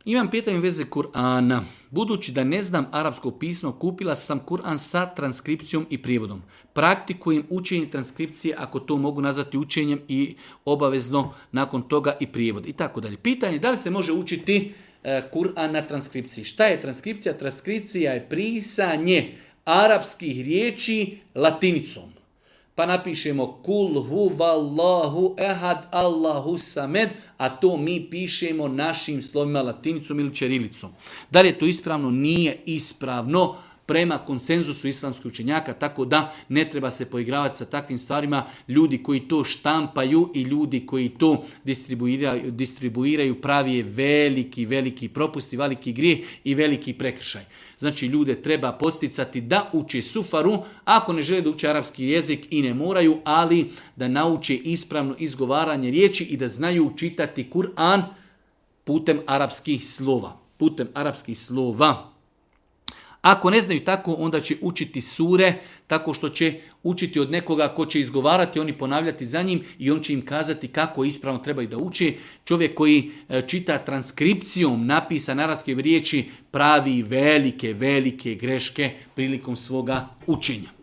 Imam pitanje u vezi Kur'ana. Budući da ne znam arapsko pismo, kupila sam Kur'an sa transkripcijom i prijevodom. Praktikujem učenje transkripcije, ako to mogu nazvati učenjem, i obavezno nakon toga i prijevod i tako dalje. Pitanje je da li se može učiti Kur'an na transkripciji. Šta je transkripcija? Transkripcija je pisanje arapskih riječi latinicom. Pa napišemo kul huvallahu ehad Allahu samed, a to mi pišemo našim slovima latinicom ili ćirilicom. Da li je to ispravno? Nije ispravno prema konsenzusu islamskih učenjaka, tako da ne treba se poigravati sa takvim stvarima. Ljudi koji to štampaju i ljudi koji to distribuiraju pravi je veliki propusti, veliki grijeh i veliki prekršaj. Znači ljude treba posticati da uče sufaru, ako ne žele da uče arapski jezik i ne moraju, ali da nauče ispravno izgovaranje riječi i da znaju čitati Kur'an putem arapskih slova. Ako ne znaju tako, onda će učiti sure tako što će učiti od nekoga ko će izgovarati, oni ponavljati za njim i on će im kazati kako ispravno trebaju da uče. Čovjek koji čita transkripcijom napisane arapske riječi pravi velike greške prilikom svoga učenja.